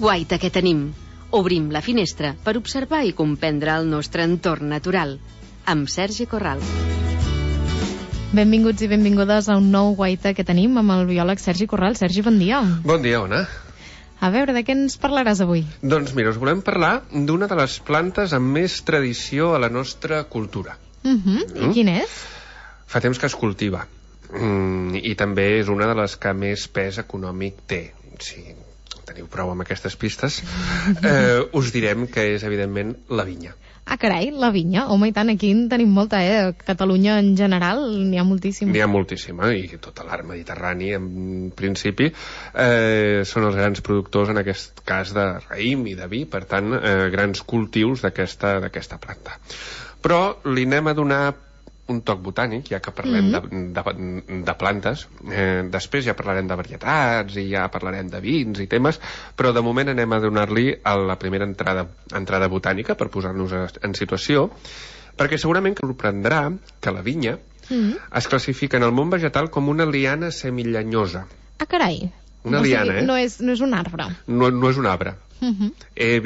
guaita que tenim. Obrim la finestra per observar i comprendre el nostre entorn natural. Amb Sergi Corral. Benvinguts i benvingudes a un nou guaita que tenim amb el biòleg Sergi Corral. Sergi, bon dia. Bon dia, Ona. A veure, de què ens parlaràs avui? Doncs mira, us volem parlar d'una de les plantes amb més tradició a la nostra cultura. I quin és? Fa temps que es cultiva. I també és una de les que més pes econòmic té. Si teniu prou amb aquestes pistes, us direm que és, evidentment, la vinya. Ah, carai, la vinya. Home, i tant, aquí en tenim molta, A Catalunya en general n'hi ha moltíssima. N'hi ha moltíssima, i tot l'art mediterrani, en principi, són els grans productors, en aquest cas, de raïm i de vi, per tant, grans cultius d'aquesta planta. Però li anem a donar un toc botànic, ja que parlem de plantes. Després ja parlarem de varietats i ja parlarem de vins i temes, però de moment anem a donar-li la primera entrada botànica per posar-nos en situació, perquè segurament que sorprendrà que la vinya es classifica en el món vegetal com una liana semillenyosa. Ah, carai. Una liana, no és un arbre. No és un arbre.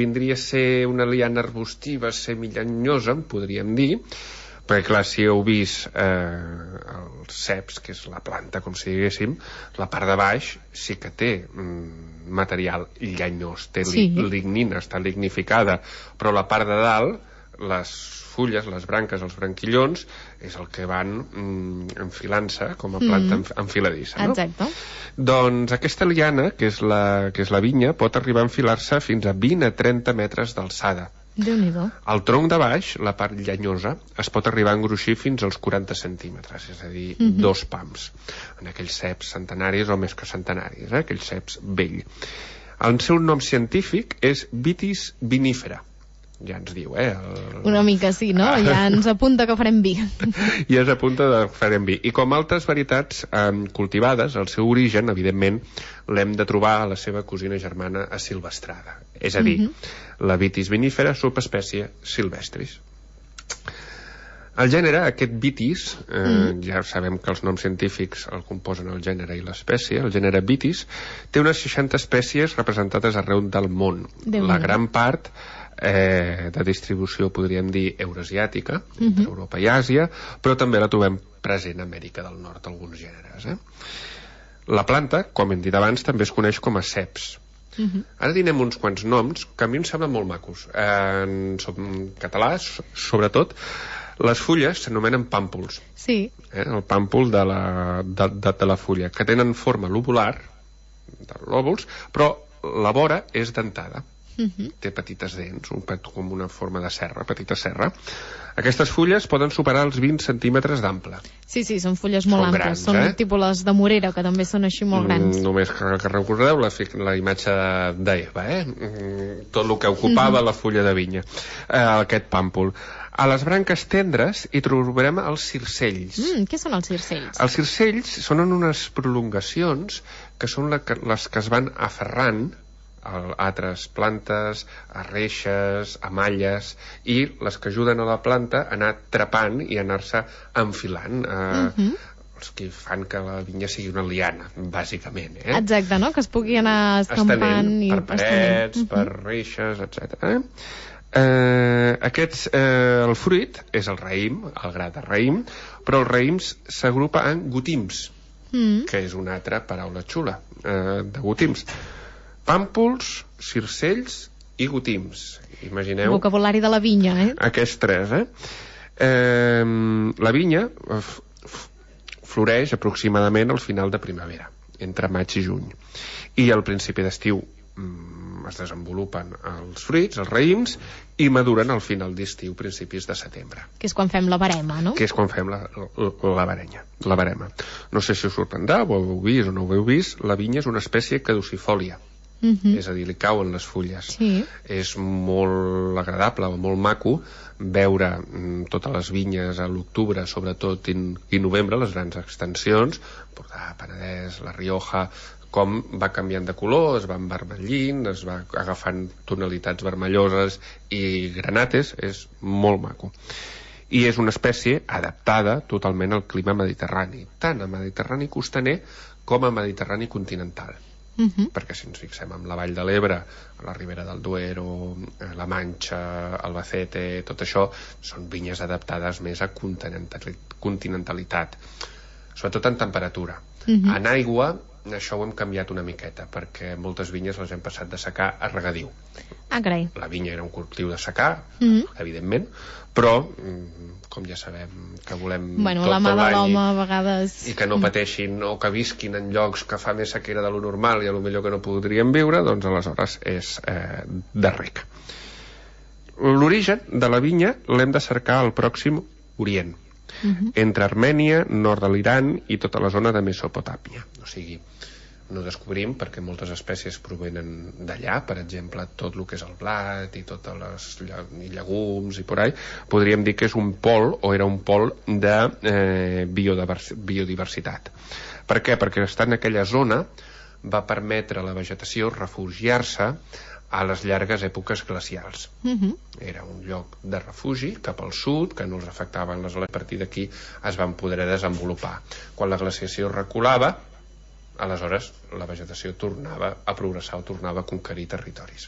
Vindria a ser una liana arbustiva semillenyosa, en podríem dir, perquè clar, si heu vist els ceps, que és la planta, com si diguéssim, la part de baix sí que té material llenyós, té lignina, està lignificada, però la part de dalt, les fulles, les branques, els branquillons, és el que van enfilant-se com a planta enfiladissa, no? Exacte. Doncs aquesta liana, que és la vinya, pot arribar a enfilar-se fins a 20 a 30 metres d'alçada. Déu-n'hi-do. El tronc de baix, la part llenyosa, es pot arribar a engruixir fins als 40 centímetres, és a dir, 2 pams, en aquells ceps centenaris o més que centenaris, aquells ceps vell. El seu nom científic és Vitis vinifera. Ja ens diu, Una mica sí, no? Ja ens apunta que farem vi. Ja ens apunta que farem vi. I com altres varietats cultivades, el seu origen, evidentment, l'hem de trobar a la seva cosina germana asilvestrada. És a dir, la Vitis vinifera, subespècie silvestris. El gènere, aquest Vitis, ja sabem que els noms científics el composen el gènere i l'espècie, el gènere Vitis, té unes 60 espècies representades arreu del món. La gran part de distribució, podríem dir, eurasiàtica, entre Europa i Àsia, però també la trobem present a Amèrica del Nord, alguns gèneres. La planta, com hem dit abans, també es coneix com a ceps. Ara direm uns quants noms que a mi em semblen molt macos. En català, sobretot, les fulles s'anomenen pàmpols. Sí. El pàmpol de la fulla, que tenen forma lobular, de lòbuls, però la vora és dentada. Té petites dents, com una forma de serra, petita serra. Aquestes fulles poden superar els 20 centímetres d'ample. Sí, són fulles molt amples. Són tipus les de Morera, que també són així molt grans. Només que recordeu la imatge d'Eva, tot el que ocupava la fulla de vinya, aquest pàmpol. A les branques tendres hi trobarem els circells. Què són els circells? Els circells són unes prolongacions que són les que es van aferrant a altres plantes, a reixes, a malles, i les que ajuden a la planta a anar trepant i a anar-se enfilant, els que fan que la vinya sigui una liana, bàsicament. Exacte, no? Que es pugui anar escampant per parets, per reixes, etc. El fruit és el raïm, el gra de raïm, però els raïms s'agrupa en gotims, que és una altra paraula xula, de gotims. Pàmpols, circells i gotims. Imagineu... Vocabulari de la vinya, Aquests tres, La vinya floreix aproximadament al final de primavera, entre maig i juny. I al principi d'estiu es desenvolupen els fruits, els raïms, i maduren al final d'estiu, principis de setembre. Que és quan fem la verema, no? Que és quan fem la verema. No sé si us sorprendrà, ho heu vist o no ho heu vist, la vinya és una espècie caducifòlia. És a dir, li cauen les fulles. És molt agradable o molt maco veure totes les vinyes a l'octubre, sobretot i novembre, les grans extensions, Empordà, Penedès, La Rioja, com va canviant de color, es va envermellint, es va agafant tonalitats vermelloses i granates, és molt maco. I és una espècie adaptada totalment al clima mediterrani, tant a mediterrani costaner com a mediterrani continental. perquè si ens fixem en la Vall de l'Ebre, la Ribera del Duero, la Manxa, Albacete, tot això són vinyes adaptades més a continentalitat, sobretot en temperatura. En aigua això ho hem canviat una miqueta, perquè moltes vinyes les hem passat de secà a regadiu. Carai. La vinya era un cultiu de secà, evidentment, però com ja sabem que volem bueno, tot la mà de l'any l'home a vegades... i que no pateixin o que visquin en llocs que fa més sequera de lo normal i a lo millor que no podrien viure, doncs aleshores és de rec. L'origen de la vinya l'hem de cercar al Pròxim Orient, entre Armènia, nord de l'Iran i tota la zona de Mesopotàmia. O sigui, no descobrim perquè moltes espècies provenen d'allà, per exemple, tot el que és el blat i totes les llegums i por ahí, podríem dir que és un pol o era un pol de biodiversitat. Per què? Perquè estar en aquella zona va permetre a la vegetació refugiar-se a les llargues èpoques glacials. Era un lloc de refugi cap al sud, que no els afectaven les oles. A partir d'aquí es van poder desenvolupar. Quan la glaciació reculava, aleshores la vegetació tornava a progressar o tornava a conquerir territoris.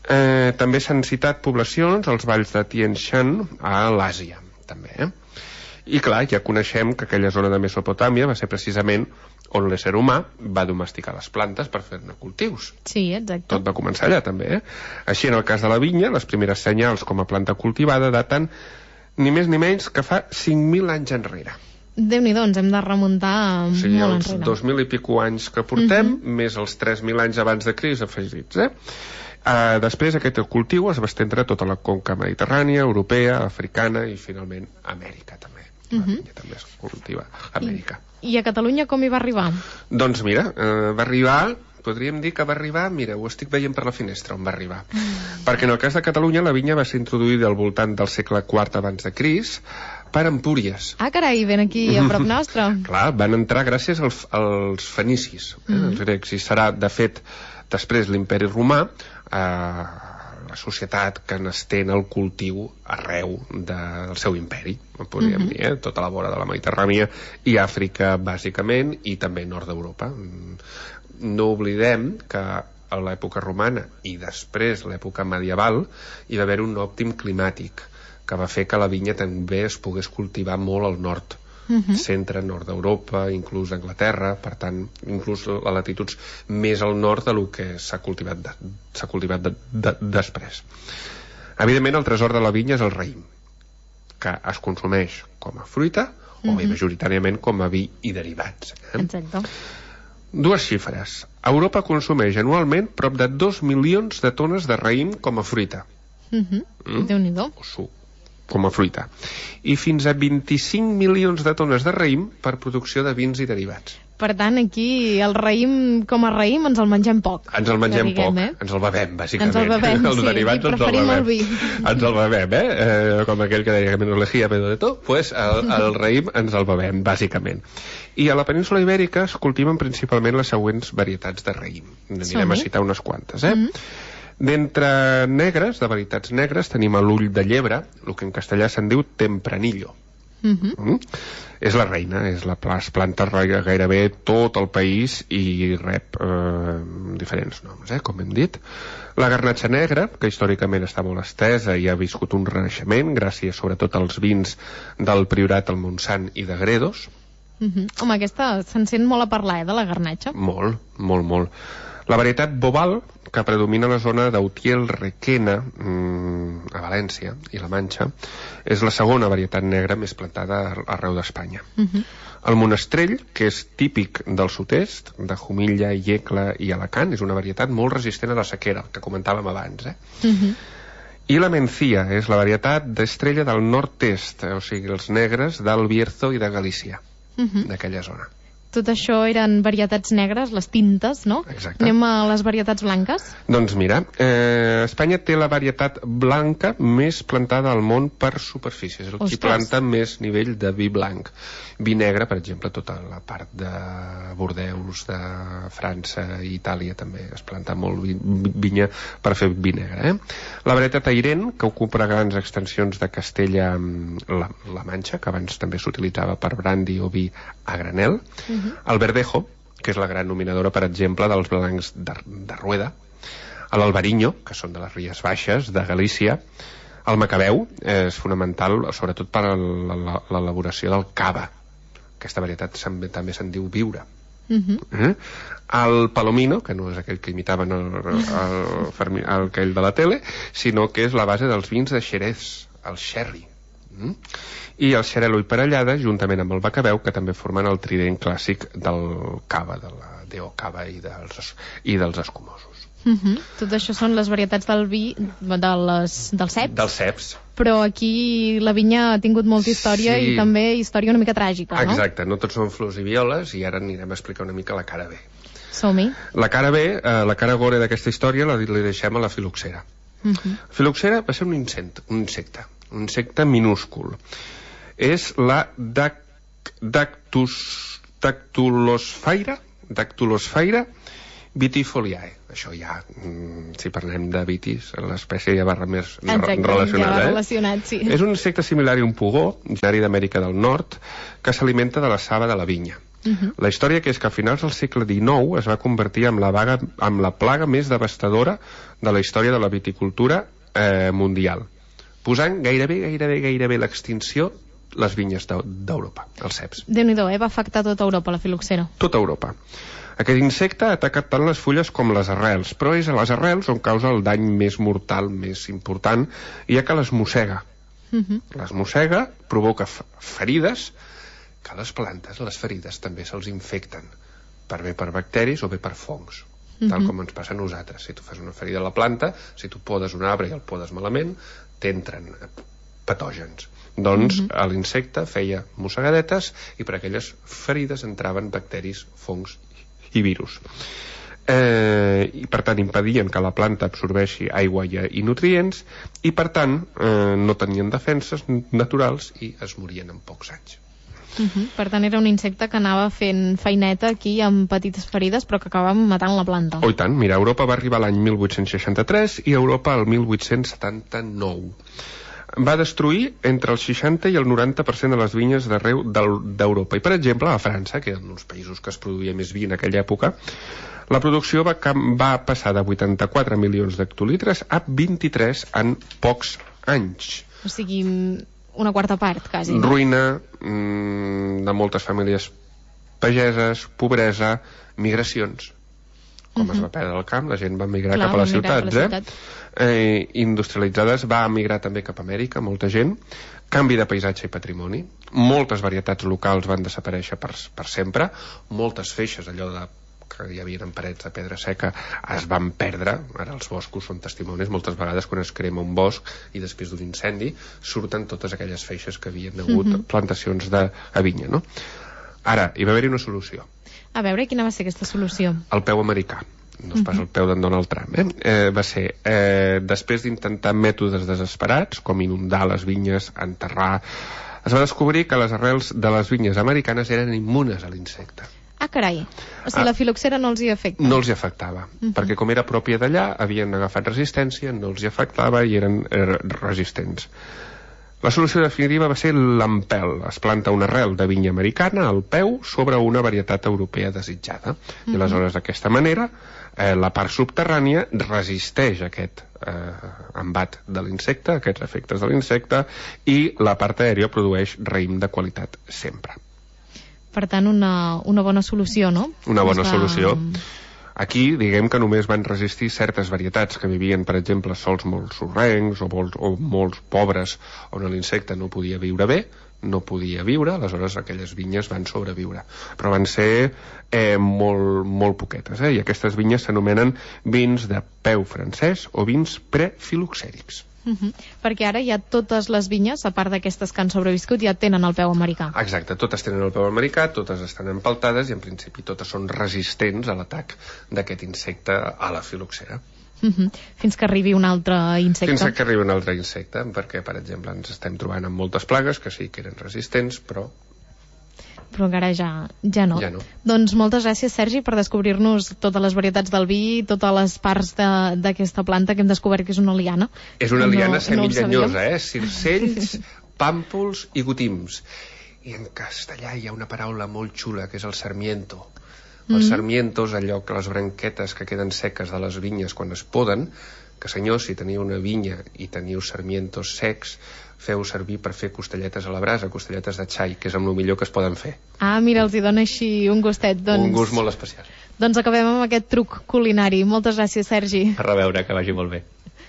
També s'han citat poblacions als valls de Tien Shan a l'Àsia, també. I clar, ja coneixem que aquella zona de Mesopotàmia va ser precisament on l'ésser humà va domesticar les plantes per fer-ne cultius. Sí, exacte. Tot va començar allà, també. Així, en el cas de la vinya, les primeres senyals com a planta cultivada daten ni més ni menys que fa 5.000 anys enrere. Déu-n'hi-do, ens hem de remuntar molt enrere. Els 2.000 i pico anys que portem, més els 3.000 anys abans de Crist afegits. Després aquest cultiu es va estendre a tota la conca mediterrània, europea, africana i finalment Amèrica també. La vinya també es cultiva a Amèrica. I a Catalunya com hi va arribar? Doncs mira, va arribar, podríem dir que va arribar, mira, ho estic veient per la finestra on va arribar. Perquè en el cas de Catalunya la vinya va ser introduïda al voltant del segle IV abans de Crist per Empúries. Carai, ben aquí a prop nostre. Clar, van entrar gràcies als fenicis, els grecs, i serà, de fet, després l'Imperi Romà, la societat que n'estén el cultiu arreu del seu imperi, podríem dir, tota la vora de la Mediterrània i Àfrica, bàsicament, i també nord d'Europa. No oblidem que a l'època romana i després l'època medieval hi va haver un òptim climàtic que va fer que la vinya també es pogués cultivar molt al nord, centre, nord d'Europa, inclús Anglaterra, per tant, inclús a latituds més al nord del que s'ha cultivat després. Evidentment, el tresor de la vinya és el raïm, que es consumeix com a fruita o bé majoritàriament com a vi i derivats. Exacte. Dues xifres. Europa consumeix anualment prop de 2 milions de tones de raïm com a fruita. Déu-n'hi-do. O suc, com a fruita. I fins a 25 milions de tones de raïm per producció de vins i derivats. Per tant, aquí el raïm, com a raïm, ens el mengem poc. Ens el mengem poc, ens el bevem, bàsicament. Ens el bevem, els derivats ens el bevem. El vi. Ens el bevem, com aquell que deia que menos lejía pedo de tot, pues el raïm ens el bevem, bàsicament. I a la península Ibèrica es cultiven principalment les següents varietats de raïm. Anirem a citar unes quantes, D'entre negres, de varietats negres, tenim l'ull de llebre, el que en castellà se'n diu tempranillo. És la reina, es planta gairebé tot el país i rep diferents noms, com hem dit. La garnatxa negra, que històricament està molt estesa i ha viscut un renaixement gràcies sobretot als vins del Priorat, el Montsant i de Gredos. Home, aquesta se'n sent molt a parlar, de la garnatxa. Molt, molt, molt. La varietat Bobal, que predomina a la zona d'Utiel-Requena, a València i la Manxa, és la segona varietat negra més plantada arreu d'Espanya. El monestrell, que és típic del sud-est, de Jumilla, Iecla i Alacant, és una varietat molt resistent a la sequera, que comentàvem abans. I la mencia és la varietat d'estrella del nord-est, o sigui, els negres del Bierzo i de Galícia, d'aquella zona. Tot això eren varietats negres, les tintes, no? Exacte. Anem a les varietats blanques? Doncs mira, Espanya té la varietat blanca més plantada al món per superfície. És el qui planta més nivell de vi blanc. Vi negre, per exemple, tota la part de Bordeus, de França i Itàlia també es planta molt vinya per fer vi negre. La varietat Airén, que ocupa grans extensions de Castella-La Manxa, que abans també s'utilitzava per brandi o vi a granel. El Verdejo, que és la gran nominadora, per exemple, dels blancs de Rueda, l'Albariño, que són de les Ries Baixes, de Galícia. El Macabeu és fonamental, sobretot per a l'elaboració del cava. Aquesta varietat també se'n diu viure. El Palomino, que no és aquell que imitaven aquell de la tele, sinó que és la base dels vins de Xerès, el sherry. I el Xarel·lo i Parellada, juntament amb el Macabeu, que també formen el trident clàssic del cava, de la D.O. Cava i dels escumosos. Tot això són les varietats del vi dels ceps? Dels ceps. Però aquí la vinya ha tingut molta història i també història una mica tràgica, no? Exacte, no tots són flors i violes, i ara anirem a explicar una mica la cara B. Som-hi. La cara B, la cara gore d'aquesta història, li deixem a la filoxera. Filoxera va ser un insecte minúscul. És la Dactylosfaira vitifoliae. Això ja, si parlem de vitis, l'espècie ja va més relacionada. Sí. És un insecte similar a un pugó, originari d'Amèrica del Nord, que s'alimenta de la saba de la vinya. La història que és que a finals del segle XIX es va convertir en la plaga més devastadora de la història de la viticultura mundial, posant gairebé l'extinció les vinyes d'Europa, els ceps. Déu-n'hi-do, va afectar tota Europa, la filoxera. Tota Europa. Aquest insecte ataca tant les fulles com les arrels, però és a les arrels on causa el dany més mortal, més important, ja que les mossega. Les mossega, provoca ferides, que a les plantes les ferides també se'ls infecten, bé per bacteris o bé per fongs, tal com ens passa a nosaltres. Si tu fas una ferida a la planta, si tu podes un arbre i el podes malament, t'entren patògens. Doncs l'insecte feia mossegadetes i per aquelles ferides entraven bacteris, fongs i virus. I per tant impedien que la planta absorbeixi aigua i nutrients i per tant no tenien defenses naturals i es morien en pocs anys. Per tant era un insecte que anava fent feineta aquí amb petites ferides però que acabava matant la planta. Oh, i tant, mira, Europa va arribar l'any 1863 i Europa el 1879. Va destruir entre el 60 i el 90% de les vinyes d'arreu d'Europa. I, per exemple, a França, que eren els països que es produïa més vi en aquella època, la producció va passar de 84 milions d'hectolitres a 23 en pocs anys. O sigui, una quarta part, quasi. Ruïna de moltes famílies pageses, pobresa, migracions. Com es va perdre el camp, la gent va migrar cap a les ciutats, industrialitzades, va emigrar també cap a Amèrica, molta gent, canvi de paisatge i patrimoni, moltes varietats locals van desaparèixer per sempre, moltes feixes, allò que hi havia en parets de pedra seca, es van perdre. Ara els boscos són testimonis, moltes vegades quan es crema un bosc i després d'un incendi surten totes aquelles feixes que havien hagut plantacions de vinya, no? Ara, hi va haver-hi una solució. A veure, quina va ser aquesta solució? El peu americà. No és pas el peu d'en Donald Trump, va ser, després d'intentar mètodes desesperats, com inundar les vinyes, enterrar, es va descobrir que les arrels de les vinyes americanes eren immunes a l'insecte. Ah, carai. O sigui, la filoxera no els hi afecta. No els hi afectava, perquè com era pròpia d'allà, havien agafat resistència, no els hi afectava i eren resistents. La solució definitiva va ser l'empel. Es planta una arrel de vinya americana al peu sobre una varietat europea desitjada. I aleshores, d'aquesta manera, la part subterrània resisteix aquest embat de l'insecte, aquests efectes de l'insecte, i la part aèria produeix raïm de qualitat sempre. Per tant, una bona solució, no? Una bona solució. Aquí, diguem que només van resistir certes varietats que vivien, per exemple, sols molt sorrencs o molts pobres on l'insecte no podia viure bé, no podia viure, aleshores aquelles vinyes van sobreviure. Però van ser molt poquetes, i aquestes vinyes s'anomenen vins de peu francès o vins prefiloxèrics. Perquè ara ja totes les vinyes, a part d'aquestes que han sobreviscut, ja tenen el peu americà. Exacte, totes tenen el peu americà, totes estan empeltades i en principi totes són resistents a l'atac d'aquest insecte a la filoxera. Fins que arribi un altre insecte. Fins que arribi un altre insecte, perquè, per exemple, ens estem trobant amb moltes plagues que sí que eren resistents, però encara ja no. Doncs moltes gràcies, Sergi, per descobrir-nos totes les varietats del vi, totes les parts d'aquesta planta que hem descobert que és una liana. És una liana semillenyosa, circells, pàmpols i gotims. I en castellà hi ha una paraula molt xula, que és el sarmiento. Els sarmientos, allò que les branquetes que queden seques de les vinyes quan es poden, que senyors, si teniu una vinya i teniu sarmientos secs, feu servir per fer costelletes a la brasa, costelletes de xai, que és amb el millor que es poden fer. Ah, mira, els hi dona així un gustet. Doncs... Un gust molt especial. Doncs acabem amb aquest truc culinari. Moltes gràcies, Sergi. A reveure, que vagi molt bé.